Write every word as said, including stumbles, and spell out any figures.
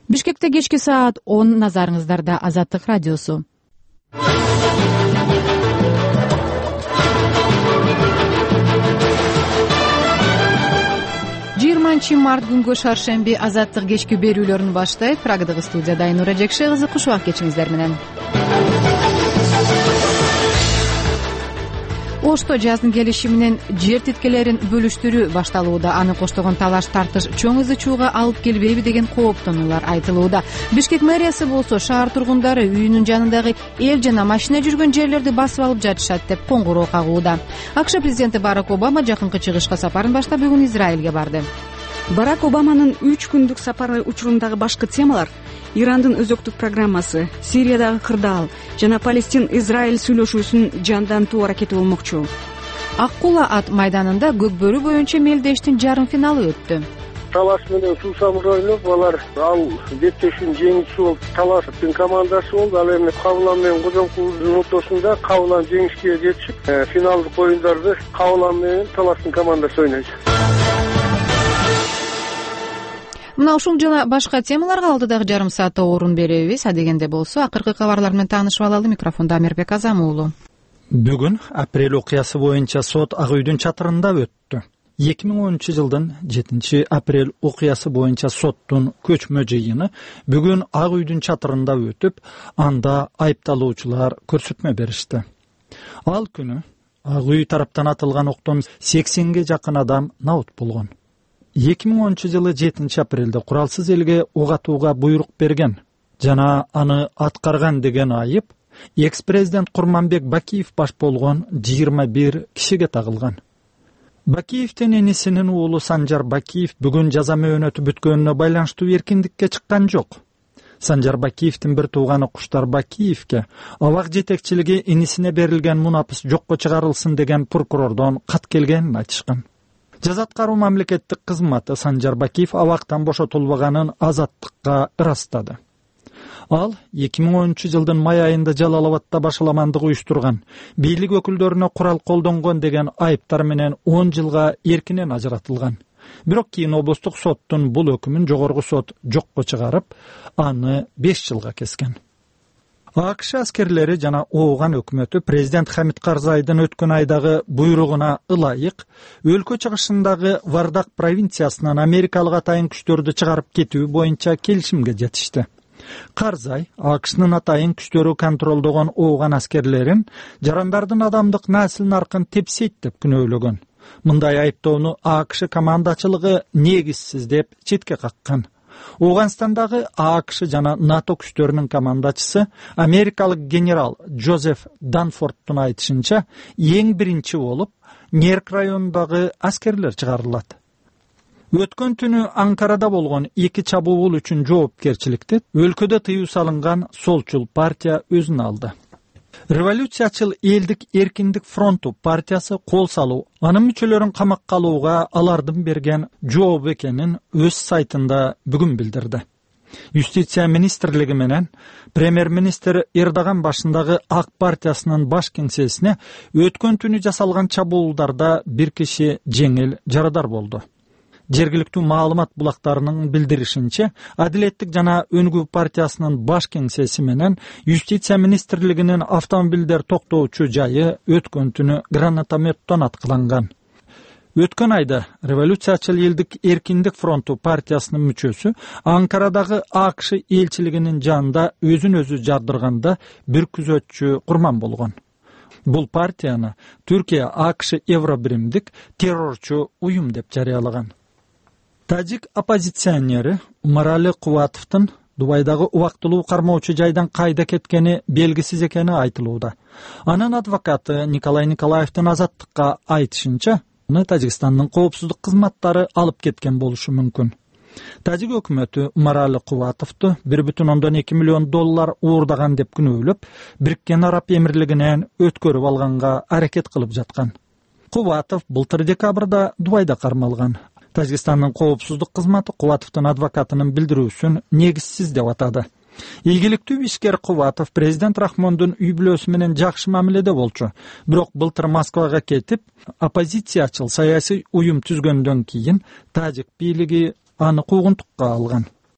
Бишкекте кечки саат он, назарыңыздарда Азаттык радиосу. жыйырманчы март күнгө шаршемби Азаттык кечки берүүлөрүн баштайт. Прагадагы студияда Айнура Жекше кызы, куш убак кечиңиздер менен. Ошто жаздын келиши менен жер титкелерин бөлүштүрүү башталууда. Аны коштогон талаш тартыш чоң ызы чууга алып келбейби деген кооптонуулар айтылууда. Бишкек мэриясы болсо шаар тургундары үйүнүн жанындагы эл жана машина жүргөн жерлерди басып алып жатышат деп коңгуроо кагууда. АКШ президенти Барак Обама жакынкы чыгышка сапарын баштап бүгүн Израилге барды. Барак Обаманын үч күндүк сапары учурундагы башкы темалар Ирандын өзөктүк программасы, Сириядагы кырдаал жана Палестин-Израиль сүйлөшүүсүн жандантуу аракети болмокчу. Ак кула ат майданында көкбөрү боюнча мелдештин жарым финалы өттү. Талаш менен Сусамыр ойноп, алар ал беттешүүнүн жеңүүчүсү болуп, Талаштын командасы болду. Ал эми Кабылан менен Кожомкулдун ортосунда Кабылан жеңишке жетишип, финалдык оюндарды Кабылан менен Талаштын командасы ойнойт. Мына ушул жана башка темаларга алдыдагы жарым саатта орун беребиз. Адегенде болсо акыркы кабарлар менен таанышып алалы. Микрофондо Амирбек Азам уулу. Бүгүн апрель окуясы боюнча сот Ак үйдүн чатырында өттү. эки миң онунчу жылдын жетинчи апрель окуясы боюнча соттун көчмө жыйыны бүгүн Ак үйдүн чатырында өтүп, анда айыпталуучулар көрсөтмө беришти. Ал күнү Ак үй тараптан атылган октон сексенге жакын адам набут болгон. эки миң онунчу жылы жетинчи апрелде куралсыз элге ок атууга буйрук берген жана аны аткарган деген айып экс-президент Курманбек Бакиев баш болгон жыйырма бир кишиге тагылган. Бакиевдин энисинин уулу Санжар Бакиев бүгүн жаза мөөнөтү бүткөнүнө байланыштуу эркиндикке чыккан жок. Санжар Бакиевдин бир тууганы Куштар Бакиевке абак жетекчилиги энисине берилген мунапыс жокко чыгарылсын деген прокурордон кат келгенин айтышкан. Жаза аткаруу мамлекеттик кызматы Санжар Бакиев абактан бошотулбаганын Азаттыкка ырастады. Ал эки миң онунчу жылдын май айында Жалалабадда башаламандык уюштурган, бийлик өкүлдөрүнө курал колдонгон деген айыптар менен он жылга эркинен ажыратылган. Бирок кийин облустук соттун бул өкүмүн жогорку сот жокко чыгарып, аны беш жылга кескен. АКШ аскерлери жана ооган өкмөтү президент Хамид Карзайдын өткөн айдагы буйругуна ылайык өлкө чыгышындагы Вардак провинциясынан америкалык атайын күчтөрдү чыгарып кетүү боюнча келишимге жетишти. Карзай АКШнын атайын күчтөрү контролдогон ооган аскерлерин жарандардын адамдык насил наркын тепсейт деп күнөөлөгөн. Мындай айыптоону АКШ командачылыгы негизсиз деп четке каккан. Оганстандагы АКШ жана НАТО күчтөрүнүн командачысы америкалык генерал Джозеф Данфордтун айтышынча, эң биринчи болуп Нерк районундагы аскерлер чыгарылат. Өткөн түнү Анкарада болгон эки чабуул үчүн жоопкерчиликти өлкөдө тыюу салынган Солчул партия өзүнө алды. Революциячыл элдик эркиндик фронту партиясы кол салуу, анын мүчөлөрүн камакка алууга алардын берген жооп экенин өз сайтында бүгүн билдирди. Юстиция министрлиги менен премьер-министр Эрдоган башындагы Ак партиясынын баш кеңсесине өткөн түнү жасалган чабуулдарда бир киши жеңил жарадар болду. Жергиликтүү маалымат булактарынын билдиришинче, Адилеттик жана Өнгүү партиясынын баш кеңсеси менен Юстиция министрлигинин автомобилдер токтоочу жайы өткөн түнү гранатометтон аткыланган. Өткөн айда Революциячыл элдик эркиндик фронту партиясынын мүчөсү Анкарадагы АКШ элчилигинин жанында өзүн өзү жардырганда бир күзөтчү курман болгон. Бул партияны Түркия АКШ Евробиримдик террорчу уюм деп жарыялаган. Тажик оппозиционери Умарали Кубатовдун Дубайдагы убактылуу кармоочу жайдан кайда кеткени белгисиз экени айтылууда. Анын адвокаты Николай Николаевдин Азаттыкка айтышынча, аны Тажикстандын коопсуздук кызматтары алып кеткен болушу мүмкүн. Тажик өкмөтү Умарали Кубатовду бир бүтүн ондон эки миллион доллар уурдаган деп күнөөлөп, Бириккен Араб Эмирлигинен өткөрүп алганга аракет кылып жаткан. Кубатов былтыр декабрда Дубайда кармалган. Тажикстандын коопсуздук кызматы Кубатовдун адвокатынын билдирүүсүн негизсиз деп атады. Ийгиликтүү ишкер Кубатов президент Рахмондун үй бүлөсү менен жакшы мамиледе болчу. Бирок былтыр Москвага кетип, оппозициячыл саясий уюм түзгөндөн кийин тажик бийлиги аны куугунтукка алган.